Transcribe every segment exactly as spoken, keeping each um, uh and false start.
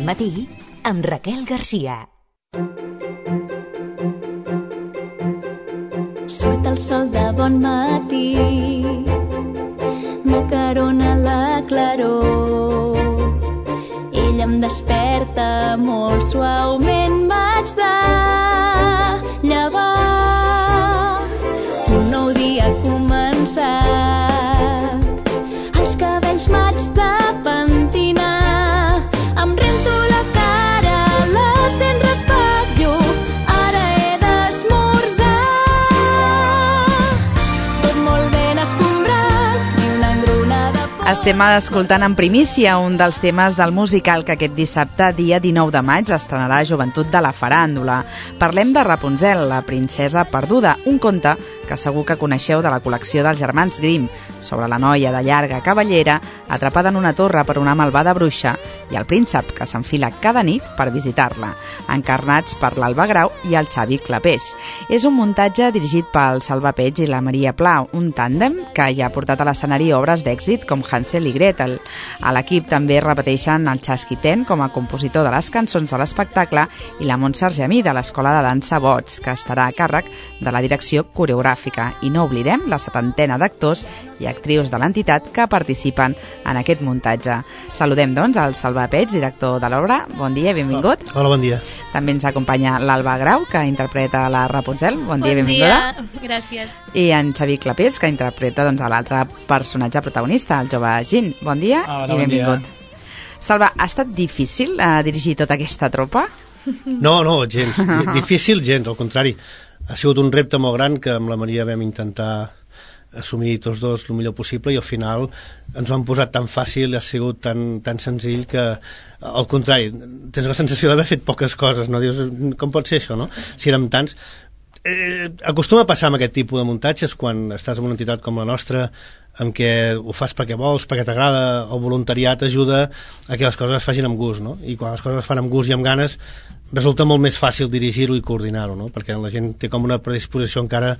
Matí amb Raquel Garcia. Surt el sol de bon matí, m'acarona la claror. Ell em desperta molt suaument, m'haig de llevar. Un nou dia ha començat, els cabells m'haig de pentinar. Em rento la cara, les dents raspatllo, ara he d'esmorzar. Tot molt ben escombrat i una engronada por. Estem escoltant en primícia un dels temes del musical que aquest dissabte, dia dinou de maig, estrenarà Joventut de la Faràndula. Parlem de Rapunzel, la princesa perduda, un conte que segur que coneixeu de la col·lecció dels germans Grimm, sobre la noia de llarga cabellera atrapada en una torre per una malvada bruixa i el príncep que s'enfila cada nit per visitar-la, encarnats per l'Alba Grau i el Xavi Clapés. És un muntatge dirigit pel Salva Peig i la Maria Pla, un tàndem que ja ha portat a l'escenari obres d'èxit com Hansel i Gretel. A l'equip també repeteixen el Chasquitén com a compositor de les cançons de l'espectacle i la Montse Argemí de l'Escola de Dansa Bots, que estarà a càrrec de la direcció coreogràfica. I no oblidem la setantena d'actors i actrius de l'entitat que participen en aquest muntatge. Saludem, doncs, al Salva Peig, director de l'obra. Bon dia, benvingut. Hola, bon dia. També ens acompanya l'Alba Grau, que interpreta la Rapunzel. Bon dia, benvinguda. Bon dia, gràcies. I en Xavi Clapés, que interpreta doncs, l'altre personatge protagonista, el jove Gin. Bon dia. Hola, i benvingut. bon dia. Salva, ha estat difícil eh, dirigir tota aquesta tropa? No, no, gens. Difícil, gens, al contrari. Ha sigut un repte molt gran que amb la Maria vam intentar assumir tots dos el millor possible i al final ens ho han posat tan fàcil, ha sigut tan, tan senzill que, al contrari, tens la sensació d'haver fet poques coses, no? Dius, com pot ser això, no? Si érem tants. Eh, acostuma a passar amb aquest tipus de muntatges quan estàs en una entitat com la nostra, en què ho fas perquè vols, perquè t'agrada, el voluntariat ajuda a que les coses es facin amb gust, no? I quan les coses es fan amb gust i amb ganes resulta molt més fàcil dirigir-ho i coordinar-ho, no? Perquè la gent té com una predisposició encara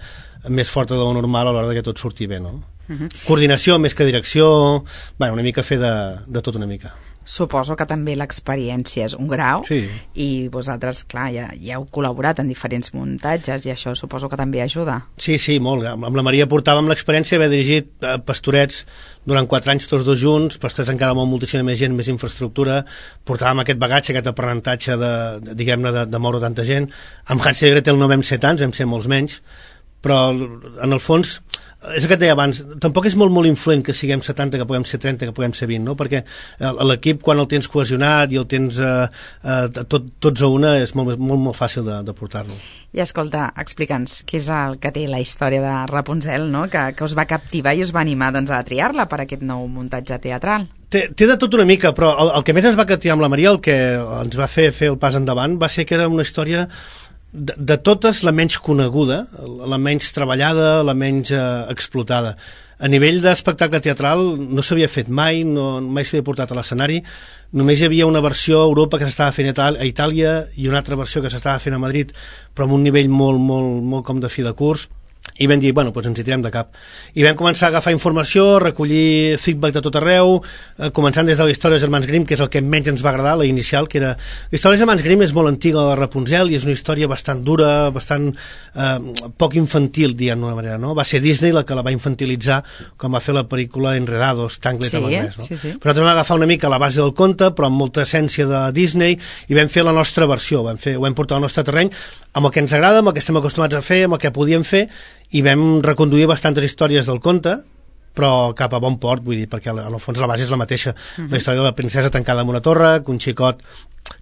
més forta de lo normal a l'hora que tot surti bé, no? Uh-huh. Coordinació més que direcció, bueno, una mica fer de, de tot una mica. Suposo que també l'experiència és un grau, sí. I vosaltres, clar, ja, ja heu col·laborat en diferents muntatges i això suposo que també ajuda. Sí, sí, molt. Amb la Maria portàvem l'experiència d'haver dirigit eh, Pastorets durant quatre anys tots dos junts, Pastorets encara amb moltíssima més gent, més infraestructura, portàvem aquest bagatge, aquest aprenentatge de, de diguem-ne, de, de moure tanta gent. Amb Hansel i Gretel no vam ser tants, vam ser molts menys, però en el fons és el que et deia abans, tampoc és molt molt influent que siguem setanta, que puguem ser trenta, que puguem ser vint, no? Perquè l'equip quan el tens cohesionat i el tens eh, eh, tot, tots a una és molt, molt, molt fàcil de, de portar-lo. I escolta, explica'ns què és el que té la història de Rapunzel, no? que, que us va captivar i us va animar doncs, a triar-la per aquest nou muntatge teatral. Té, té de tot una mica, però el, el que més ens va captivar amb la Maria, el que ens va fer fer el pas endavant, va ser que era una història De, de totes la menys coneguda, la menys treballada, la menys eh, explotada. A nivell d'espectacle teatral no s'havia fet mai, no, mai s'havia portat a l'escenari, només hi havia una versió a Europa que s'estava fent a Itàlia i una altra versió que s'estava fent a Madrid, però amb un nivell molt, molt, molt com de fi de curs. I vam dir, bueno, doncs ens hi tirem de cap. I vam començar a agafar informació, recollir feedback de tot arreu, eh, començant des de la història dels germans Grimm, que és el que menys ens va agradar, la inicial, que era... La història dels germans Grimm és molt antiga, la de Rapunzel, i és una història bastant dura, bastant eh, poc infantil, diguem d'una manera, no? Va ser Disney la que la va infantilitzar, com va fer la pel·lícula Enredados, Tangled sí, en anglès, no? Sí, sí. Però nosaltres vam agafar una mica la base del conte, però amb molta essència de Disney, i vam fer la nostra versió, vam, fer, ho vam portar al nostre terreny, amb el que ens agrada, amb el que estem acostumats a fer, amb el que podíem fer, i vam reconduir bastantes històries del conte, però cap a bon port, vull dir, perquè en el fons la base és la mateixa. Uh-huh. La història de la princesa tancada en una torre, que un xicot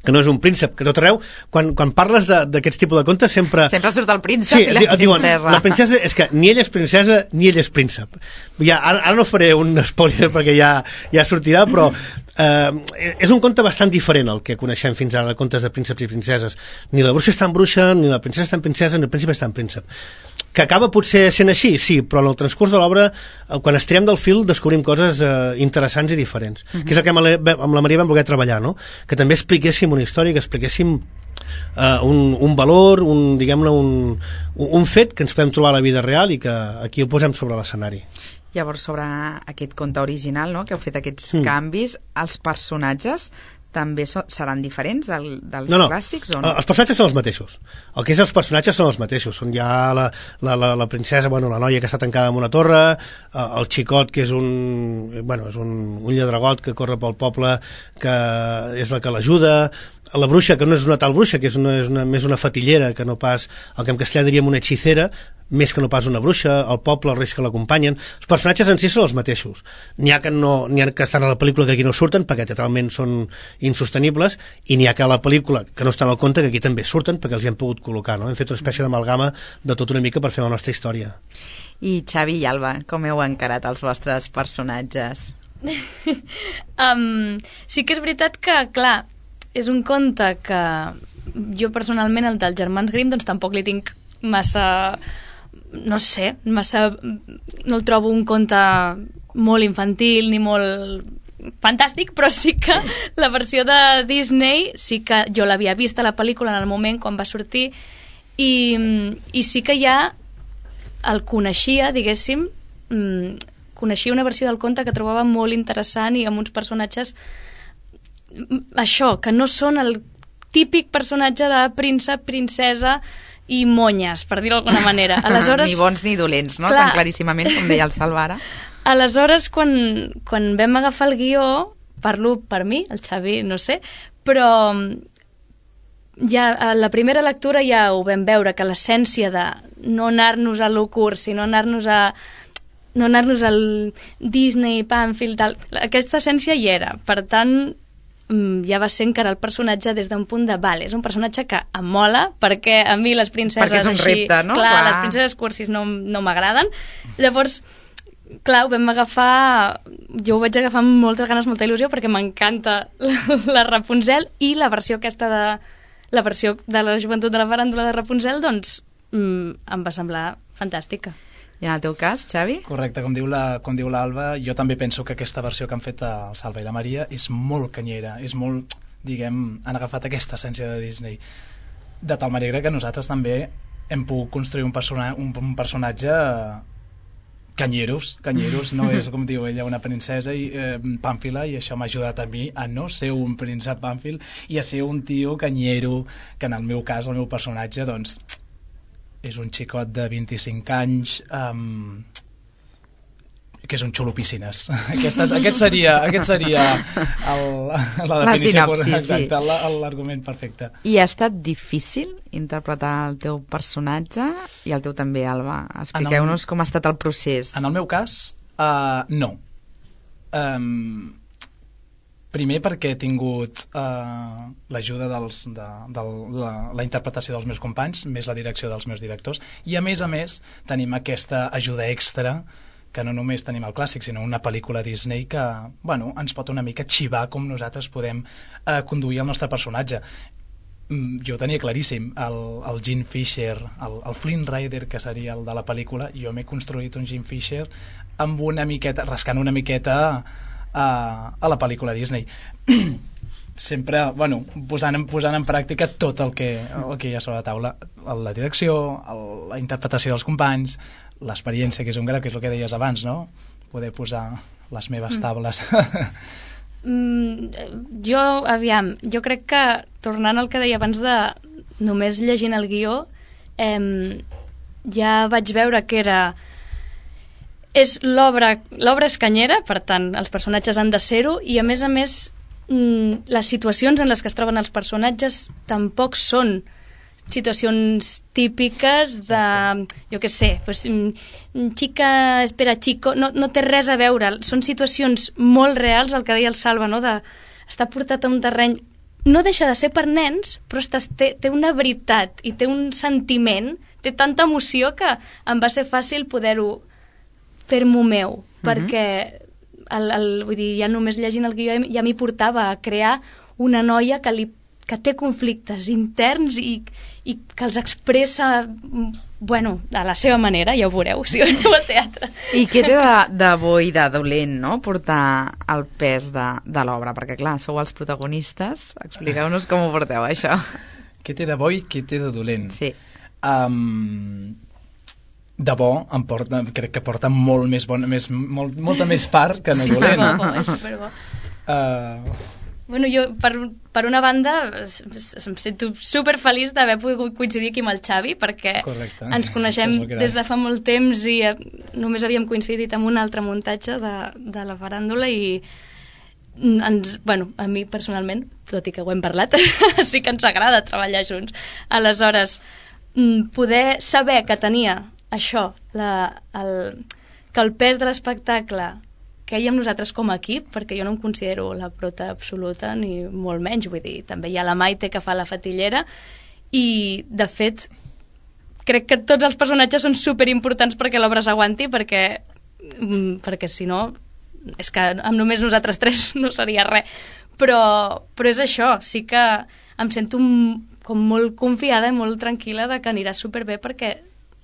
que no és un príncep, que tot arreu, quan, quan parles d'aquests tipus de contes sempre... Sempre surt el príncep sí, i la diuen, princesa. La princesa és que ni ella és princesa ni ell és príncep. Ja, ara, ara no faré un spoiler perquè ja, ja sortirà, però eh, és un conte bastant diferent al que coneixem fins ara de contes de prínceps i princeses. Ni la bruixa és tan bruixa, ni la princesa és tan princesa, ni el príncep és tan príncep. Que acaba potser sent així, sí, però en el transcurs de l'obra, quan estirem del fil, descobrim coses eh, interessants i diferents. Uh-huh. Que és el que amb la, amb la Maria vam voler treballar, no? Que també expliquéssim una història, que expliquéssim uh, un, un valor, un, diguem-ne, un, un fet que ens podem trobar a la vida real i que aquí ho posem sobre l'escenari. Llavors, sobre aquest conte original, no?, que heu fet aquests mm. canvis, els personatges també so, seran diferents del, dels no, no. clàssics o no? Els personatges són els mateixos. El que és els personatges són els mateixos. Són ja la, la, la, la princesa, bueno, la noia que està tancada en una torre, el xicot que és un, bueno, és un, un lladregot que corre pel poble, que és la que l'ajuda, la bruixa, que no és una tal bruixa, que és, una, és una, més una fatillera, que no pas, el que en castellà diríem una hechicera, més que no pas una bruixa, el poble, els reis que l'acompanyen. Els personatges en si són els mateixos. N'hi ha que, no, n'hi ha que estan a la pel·lícula que aquí no surten, perquè teatralment són insostenibles, i n'hi ha que a la pel·lícula, que no estan al compte, que aquí també surten, perquè els hi han pogut col·locar. No? Hem fet una espècie d'amalgama de tot una mica per fer la nostra història. I Xavi i Alba, com heu encarat els vostres personatges? um, sí que és veritat que, clar, és un conte que jo personalment, el dels germans Grimm, doncs tampoc li tinc massa, no sé, massa, no el trobo un conte molt infantil ni molt fantàstic, però sí que la versió de Disney sí que jo l'havia vist a la pel·lícula en el moment quan va sortir i, i sí que ja el coneixia, diguéssim, coneixia una versió del conte que trobava molt interessant i amb uns personatges això, que no són el típic personatge de príncep, princesa i monyes, per dir-ho d'alguna manera. Aleshores, ni bons ni dolents, no? Clar, tan claríssimament com deia el Salvara. Aleshores, quan, quan vam agafar el guió, parlo per mi, el Xavi no sé, però ja a la primera lectura ja ho vam veure, que l'essència de no anar-nos a lo curt, sinó anar-nos a no anar-nos al Disney, Pamfield, tal, aquesta essència hi era. Per tant, ja va ser encarar el personatge des d'un punt de val, és un personatge que em mola perquè a mi les princeses perquè és un així, repte, no? clar, clar. les princeses cursis no, no m'agraden, llavors clar, ho vam agafar, jo ho vaig agafar amb moltes ganes, molta il·lusió, perquè m'encanta la, la Rapunzel, i la versió aquesta de la versió de la joventut de la faràndula de Rapunzel, doncs mm, em va semblar fantàstica. I en el teu cas, Xavi? Correcte, com diu la, com diu l'Alba, jo també penso que aquesta versió que han fet el Salva i la Maria és molt canyera, és molt, diguem, han agafat aquesta essència de Disney. De tal manera que nosaltres també hem pogut construir un, persona, un, un personatge canyeros, canyeros, no és, com diu ella, una princesa i, eh, pàmfila, i això m'ha ajudat a mi a no ser un príncep pàmfil i a ser un tio canyero, que en el meu cas, el meu personatge, doncs, és un xicot de vint-i-cinc anys um, que és un xulo piscines. Aquestes, aquest seria, aquest seria el, la definició, la sinopsi, exacte, sí. l'argument perfecte. I ha estat difícil interpretar el teu personatge i el teu també, Alba? Expliqueu-nos el, com ha estat el procés. En el meu cas, uh, no. Um, primer perquè he tingut uh, l'ajuda dels, de, de la, la interpretació dels meus companys, més la direcció dels meus directors, i a més a més tenim aquesta ajuda extra que no només tenim el clàssic, sinó una pel·lícula Disney que, bueno, ens pot una mica xivar com nosaltres podem uh, conduir el nostre personatge. Mm, jo ho tenia claríssim, el, el Jean Fisher, el, el Flynn Rider, que seria el de la pel·lícula, jo m'he construït un Jean Fisher amb una miqueta, rascant una miqueta a, a la pel·lícula Disney. Sempre, bueno, posant en, posant en pràctica tot el que, el que hi ha sobre la taula, la direcció, el, la interpretació dels companys, l'experiència, que és un gra, que és el que deies abans, no? Poder posar les meves tables. Mm, jo, aviam, jo crec que, tornant al que deia abans de només llegint el guió, eh, ja vaig veure que era... És l'obra, l'obra és canyera, per tant, els personatges han de ser-ho, i a més a més, mm, les situacions en les que es troben els personatges tampoc són situacions típiques de, jo què sé, pues, xica espera chico, no, no té res a veure, són situacions molt reals, el que deia el Salva, no? De estar portat a un terreny, no deixa de ser per nens, però estàs, té, té una veritat i té un sentiment, té tanta emoció que em va ser fàcil poder-ho fer-m'ho meu, uh-huh. perquè el, el, vull dir, ja només llegint el guió ja m'hi portava a crear una noia que li que té conflictes interns i, i que els expressa, bueno, a la seva manera, ja ho veureu, si veniu al teatre. I què té de, de bo i de dolent, no?, portar el pes de, de l'obra? Perquè, clar, sou els protagonistes. Expliqueu-nos com ho porteu, això. Què té de bo i què té de dolent? Sí. Um, de bo, em porta, crec que porta molt més bon, més, molt, molta més part que no dolent. Sí, bo, bo, és superbo. Uh, Bueno, jo, per, per una banda, em sento superfeliç d'haver pogut coincidir aquí amb el Xavi, perquè Correcte. ens coneixem des de fa molt temps i eh, només havíem coincidit amb un altre muntatge de, de la faràndula i ens, bueno, a mi personalment, tot i que ho hem parlat, sí que ens agrada treballar junts. Aleshores, poder saber que tenia això, la, el, que el pes de l'espectacle que hi ha amb nosaltres com a equip, perquè jo no em considero la prota absoluta, ni molt menys, vull dir, també hi ha la Maite que fa la fatillera, i, de fet, crec que tots els personatges són superimportants perquè l'obra s'aguanti, perquè, perquè si no, és que amb només nosaltres tres no seria res. Però, però és això, sí que em sento com molt confiada i molt tranquil·la de que anirà superbé perquè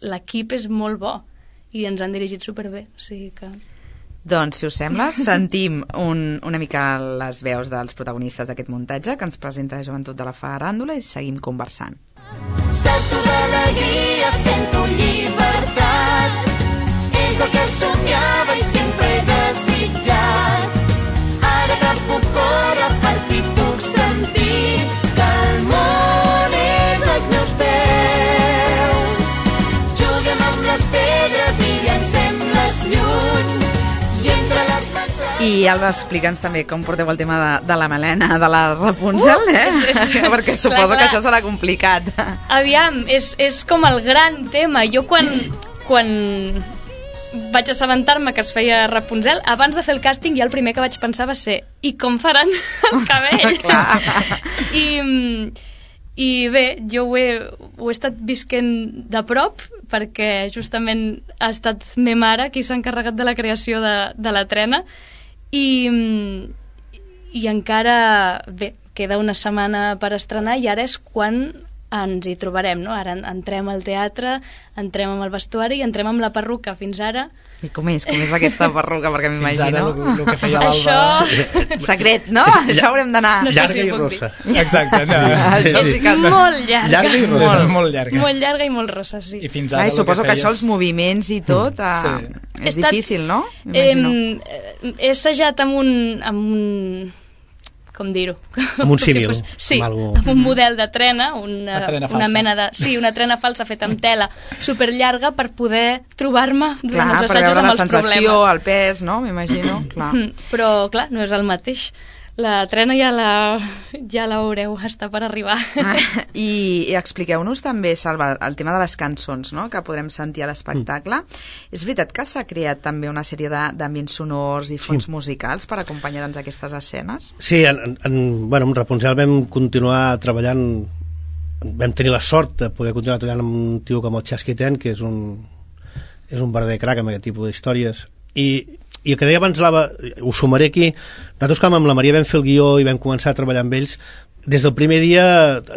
l'equip és molt bo i ens han dirigit superbé, o sigui que... Doncs, si us sembla, sentim un, una mica les veus dels protagonistes d'aquest muntatge que ens presenta la Joventut de la Faràndula i seguim conversant. Salto d'alegria, sento llibertat, és el que somiava i sempre he desitjat. Ara que puc córrer, per fi puc sentir que el món és als meus peus. Juguem amb les pedres i llancem-les lluny. I Alba, explica'ns també com porteu el tema de, de la melena de la Rapunzel, uh, eh? És, és, perquè suposo clar, clar. que això serà complicat. Aviam, és, és com el gran tema. Jo quan, quan vaig assabentar-me que es feia Rapunzel, abans de fer el càsting, ja el primer que vaig pensar va ser i com faran el cabell? I... I bé, jo ho he, ho he estat visquent de prop perquè justament ha estat me mare qui s'ha encarregat de la creació de, de la trena i, i encara, bé, queda una setmana per estrenar i ara és quan ens hi trobarem, no? Ara entrem al teatre, entrem amb el vestuari i entrem amb la perruca. Fins ara... I com és? Com és aquesta perruca? Perquè m'imagino... Fins ara el, el que feia l'Alba... Això... Secret, no? Això haurem d'anar... No sé llarga si i rossa. Exacte. No. Això sí que... Molt llarga. Llarga i rossa. Molt, molt llarga. Molt llarga i molt rossa, sí. I fins ara... Ai, suposo que, que això, els moviments i tot, mm. uh, sí. és Estat, difícil, no? M'imagino. Eh, he assajat amb un... Amb un com dir-ho? Amb un símil. Fos, sí, amb, algú... amb un model de trena, una, una, trena una mena de... Sí, una trena falsa feta amb tela superllarga per poder trobar-me durant clar, els assajos amb els problemes. Clar, per veure la sensació, el pes, no? M'imagino, clar. Però, clar, no és el mateix. La trena ja la, ja la veureu, està per arribar. Ah, i, i expliqueu-nos també, Salva, el tema de les cançons, no?, que podrem sentir a l'espectacle. Mm. És veritat que s'ha creat també una sèrie d'ambients sonors i fons sí. musicals per acompanyar doncs, aquestes escenes? Sí, en, en, bueno, amb Rapunzel vam continuar treballant, vam tenir la sort de poder continuar treballant amb un tio com el Chasquiten, que és un, és un verdader crac amb aquest tipus d'històries. I, i el que deia abans l'Ava, ho sumaré aquí, nosaltres com amb la Maria vam fer el guió i vam començar a treballar amb ells, des del primer dia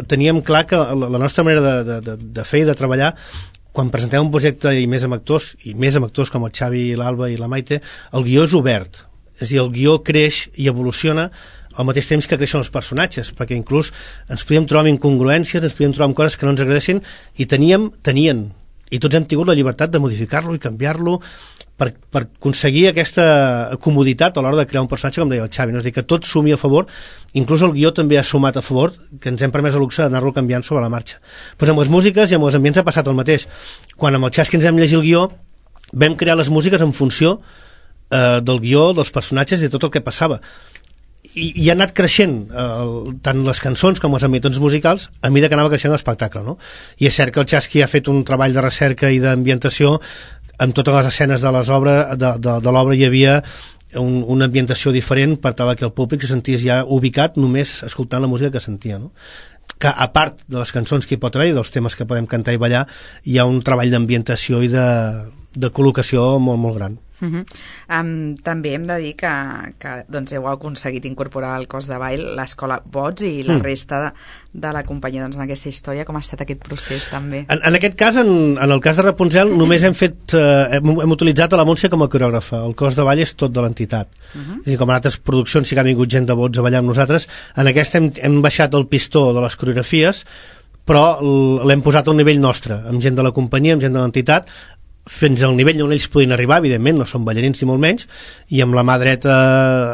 teníem clar que la, la nostra manera de, de, de fer i de treballar, quan presentem un projecte i més amb actors, i més amb actors com el Xavi, l'Alba i la Maite, el guió és obert, és a dir, el guió creix i evoluciona al mateix temps que creixen els personatges, perquè inclús ens podíem trobar amb incongruències, ens podíem trobar amb coses que no ens agradessin, i teníem, tenien, i tots hem tingut la llibertat de modificar-lo i canviar-lo per, per aconseguir aquesta comoditat a l'hora de crear un personatge, com deia el Xavi, no? És a dir, que tot sumi a favor, inclús el guió també ha sumat a favor, que ens hem permès el luxe d'anar-lo canviant sobre la marxa. Pues amb les músiques i amb els ambients ha passat el mateix. Quan amb el Xasqui ens vam llegir el guió, vam crear les músiques en funció eh, del guió, dels personatges i de tot el que passava. I, i ha anat creixent eh, tant les cançons com els ambients musicals a mesura que anava creixent l'espectacle, no? I és cert que el Chasqui ha fet un treball de recerca i d'ambientació. En totes les escenes de les obres de, de, de l'obra hi havia un, una ambientació diferent per tal que el públic se sentís ja ubicat només escoltant la música que sentia, no? Que a part de les cançons que hi pot haver i dels temes que podem cantar i ballar, hi ha un treball d'ambientació i de, de col·locació molt, molt gran. Uh -huh. um, també hem de dir que, que doncs, heu aconseguit incorporar al cos de ball l'escola Bots i la mm. resta de, de la companyia doncs, en aquesta història. Com ha estat aquest procés també? En, en aquest cas, en, en el cas de Rapunzel, només hem fet eh, hem, hem utilitzat a la Montse com a coreògrafa. El cos de ball és tot de l'entitat. Uh -huh. És a dir, com en altres produccions sí que ha vingut gent de Bots a ballar amb nosaltres, en aquesta hem, hem baixat el pistó de les coreografies, però l'hem posat a un nivell nostre, amb gent de la companyia, amb gent de l'entitat, fins al nivell on ells podien arribar, evidentment, no són ballarins ni molt menys, i amb la mà dreta,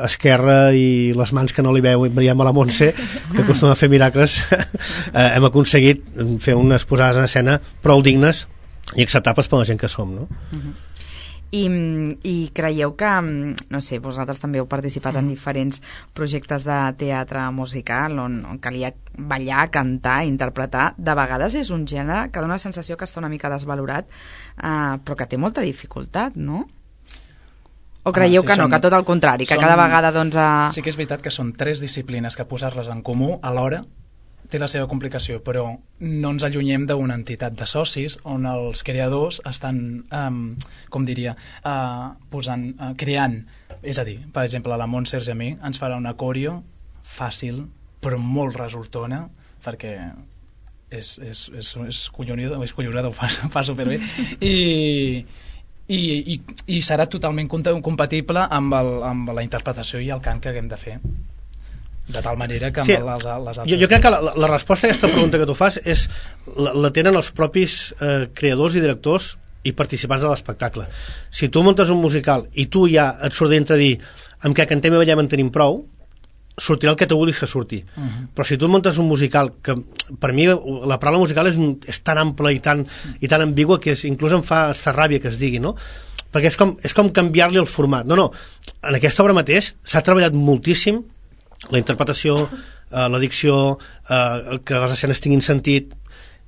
esquerra i les mans que no li veu, veiem a la Montse, que acostuma a fer miracles, eh, hem aconseguit fer unes posades en escena prou dignes i acceptables per la gent que som, no? Uh-huh. I, i creieu que, no sé, vosaltres també heu participat en diferents projectes de teatre musical on, on calia ballar, cantar, interpretar. De vegades és un gènere que dona la sensació que està una mica desvalorat, eh, però que té molta dificultat, no? O creieu ah, sí, que no, són, que tot el contrari, que són, cada vegada doncs... A... Sí que és veritat que són tres disciplines que posar-les en comú alhora té la seva complicació, però no ens allunyem d'una entitat de socis on els creadors estan, um, com diria, uh, posant, uh, creant. És a dir, per exemple, la Montse i a mi ens farà una coreo fàcil, però molt resultona, perquè és, és, és, és collonida, és collonida, ho fa, fa superbé, i... I, i, i serà totalment compatible amb, el, amb la interpretació i el cant que haguem de fer, de tal manera que amb sí, les, les altres... Jo, jo crec que la, la resposta a aquesta pregunta que tu fas és, la, la tenen els propis eh, creadors i directors i participants de l'espectacle. Si tu muntes un musical i tu ja et surt dintre dir amb què cantem i ballem en tenim prou, sortirà el que tu vulguis que surti. Uh-huh. Però si tu muntes un musical, que per mi la paraula musical és, és tan ampla i tan, i tan ambigua que és, inclús em fa estar ràbia que es digui, no? Perquè és com, és com canviar-li el format. No, no, en aquesta obra mateix s'ha treballat moltíssim la interpretació, eh, la dicció, eh, que les escenes tinguin sentit.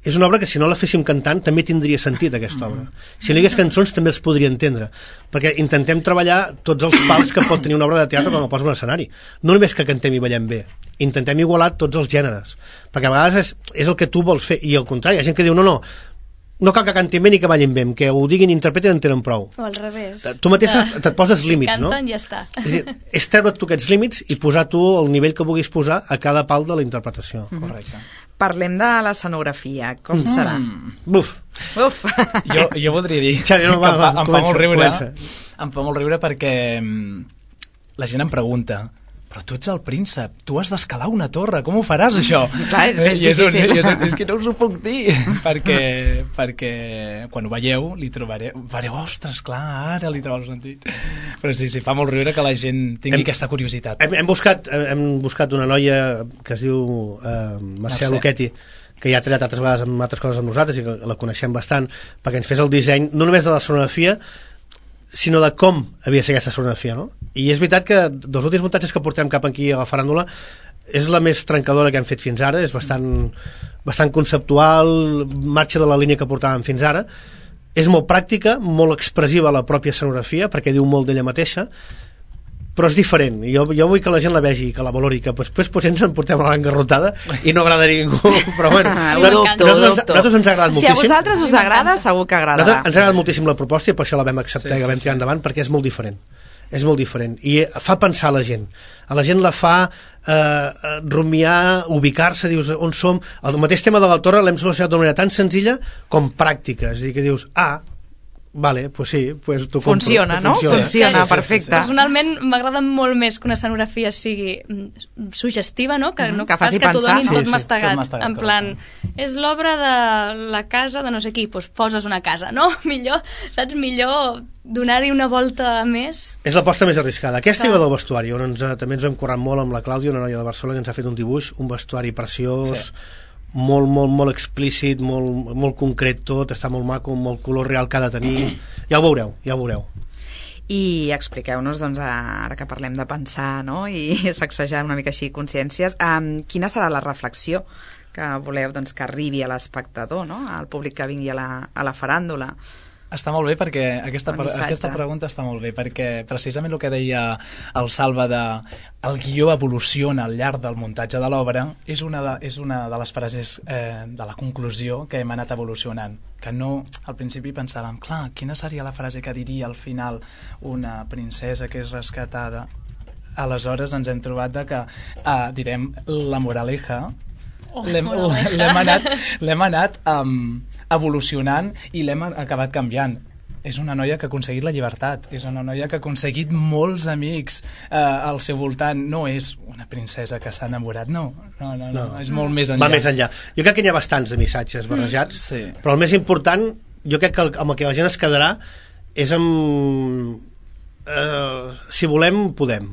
És una obra que si no la féssim cantant també tindria sentit, aquesta obra. Si no hi hagués cançons també els podria entendre, perquè intentem treballar tots els pals que pot tenir una obra de teatre quan la posa en l'escenari. No només que cantem i ballem bé, intentem igualar tots els gèneres, perquè a vegades és, és el que tu vols fer, i al contrari, hi ha gent que diu no, no, no cal que cantin bé ni que ballin bé, que ho diguin i interpretin en tenen prou. O al revés. Tu mateixa de... et poses límits, si no? canten, ja està. És dir, és treure't tu aquests límits i posar tu el nivell que vulguis posar a cada pal de la interpretació. Mm-hmm. Correcte. Parlem de l'escenografia, com mm. serà? Buf! Uf! Jo, jo voldria dir Xavi, no, va, que va, em, fa, em comença, fa molt riure, comença. em fa molt riure perquè la gent em pregunta, però tu ets el príncep, tu has d'escalar una torre, com ho faràs això? Clar, és que és I és, un, difícil. és, un, és que no us ho puc dir, perquè, perquè quan ho veieu li trobareu, fareu, ostres, clar, ara li trobo el sentit. Però sí, sí, fa molt riure que la gent tingui hem, aquesta curiositat. Hem, hem, buscat, hem buscat una noia que es diu uh, Mercè Luchetti, que ja ha treballat altres vegades amb altres coses amb nosaltres i que la coneixem bastant, perquè ens fes el disseny, no només de la sonografia, sinó de com havia de ser aquesta sonografia, no? I és veritat que dels últims muntatges que portem cap aquí a la faràndula és la més trencadora que hem fet fins ara, és bastant, bastant conceptual, marxa de la línia que portàvem fins ara, és molt pràctica, molt expressiva la pròpia escenografia, perquè diu molt d'ella mateixa, però és diferent. Jo, jo vull que la gent la vegi, que la valori, que després potser ens en portem una engarrotada i no agrada a ningú, però bueno, ah, nosaltres, dubto, nosaltres, dubto. nosaltres ens ha agradat moltíssim. Si a vosaltres us agrada, segur que agradarà. Nosaltres ens ha agradat moltíssim la proposta i per això la vam acceptar sí, i la vam sí, tirar sí. endavant, perquè és molt diferent. És molt diferent i fa pensar a la gent, a la gent la fa eh, rumiar, ubicar-se, dius on som, el mateix tema de la torre l'hem solucionat d'una manera tan senzilla com pràctica, és a dir, que dius ah, vale, pues sí, pues t'ho compro. Funciona, no? Funciona, Funciona, sí, sí, perfecte. sí, sí. Personalment m'agrada molt més que una escenografia sigui suggestiva, no? Que, no que faci que t'ho pensar. donin Sí, tot sí, mastegat. tot mastegat, En plan, és l'obra de la casa de no sé qui, doncs poses una casa, no? Millor, saps? Millor donar-hi una volta més. És l'aposta més arriscada. Aquesta Clar. i la del vestuari, on ens, també ens hem currat molt amb la Clàudia, una noia de Barcelona, que ens ha fet un dibuix, un vestuari preciós, sí. molt, molt, molt explícit, molt, molt concret tot, està molt maco, molt color real que ha de tenir. Ja ho veureu, ja ho veureu. I expliqueu-nos, doncs, ara que parlem de pensar, no?, i sacsejar una mica així consciències, um, quina serà la reflexió que voleu, doncs, que arribi a l'espectador, no?, al públic que vingui a la, a la faràndula. Està molt bé perquè aquesta, aquesta pregunta està molt bé perquè precisament el que deia el Salva de el guió evoluciona al llarg del muntatge de l'obra és una de, és una de les frases eh, de la conclusió que hem anat evolucionant, que no, al principi pensàvem, clar, quina seria la frase que diria al final una princesa que és rescatada, aleshores ens hem trobat de que eh, direm la moraleja oh, l'hem, l'hem anat, l'hem anat um, evolucionant i l'hem acabat canviant. És una noia que ha aconseguit la llibertat, és una noia que ha aconseguit molts amics eh, al seu voltant, no és una princesa que s'ha enamorat, no, no, no, no, no. és molt més enllà. Va més enllà. Jo crec que hi ha bastants de missatges barrejats, mm, sí. però el més important jo crec que el, amb el que la gent es quedarà és amb... Eh, si volem, podem.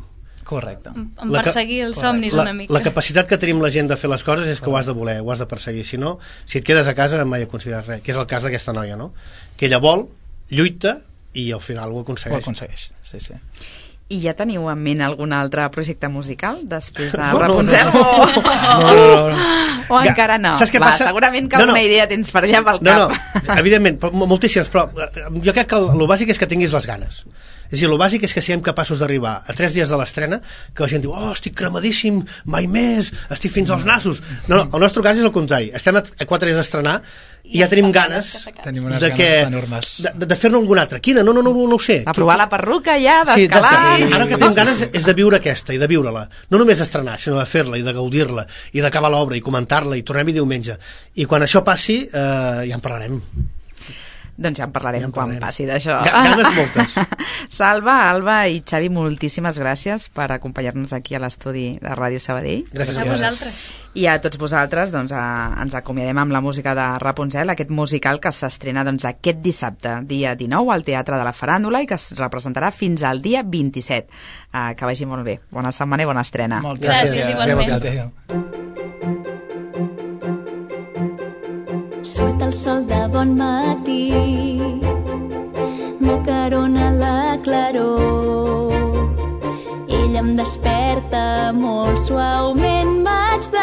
Correcte. En perseguir els somnis la, una mica. La capacitat que tenim la gent de fer les coses és que ho has de voler, ho has de perseguir. Si no, si et quedes a casa mai aconseguiràs res, que és el cas d'aquesta noia, no? Que ella vol, lluita i al final ho aconsegueix. Ho aconsegueix, sí, sí. I ja teniu en ment algun altre projecte musical després de no, Rapunzel? No, no, no. no, no, no. O ja, encara no? Saps què Va, passa? Segurament que no, alguna no. idea tens per allà pel no, cap. No, evidentment, moltíssimes, però jo crec que el, el bàsic és que tinguis les ganes. És a dir, el bàsic és que siguem capaços d'arribar a tres dies de l'estrena, que la gent diu, oh, estic cremadíssim, mai més, estic fins als nassos. No, no, el nostre cas és el contrari. Estem a quatre dies d'estrenar i ja tenim ganes tenim unes de, que, ganes enormes. de, de, de fer-ne alguna altra. Quina? No, no, no, no ho sé. De provar la perruca ja, d'escalar. Sí, ara que tenim ganes és de viure aquesta i de viure-la. No només estrenar, sinó de fer-la i de gaudir-la i d'acabar l'obra i comentar-la i tornem-hi diumenge. I quan això passi, eh, ja en parlarem. Doncs ja en parlarem, ja en parlarem. Quan passi d'això. Ganes moltes. Salva, Alba i Xavi, moltíssimes gràcies per acompanyar-nos aquí a l'estudi de Ràdio Sabadell. Gràcies a vosaltres. I a tots vosaltres doncs, a, ens acomiadem amb la música de Rapunzel, aquest musical que s'estrena doncs, aquest dissabte, dia dinou, al Teatre de la Faràndula i que es representarà fins al dia vint-i-set. Uh, que vagi molt bé. Bona setmana i bona estrena. Moltes gràcies, igualment. gràcies. Surt el sol de bon matí, m'acarona la claror. Ell em desperta molt suaument, m'haig de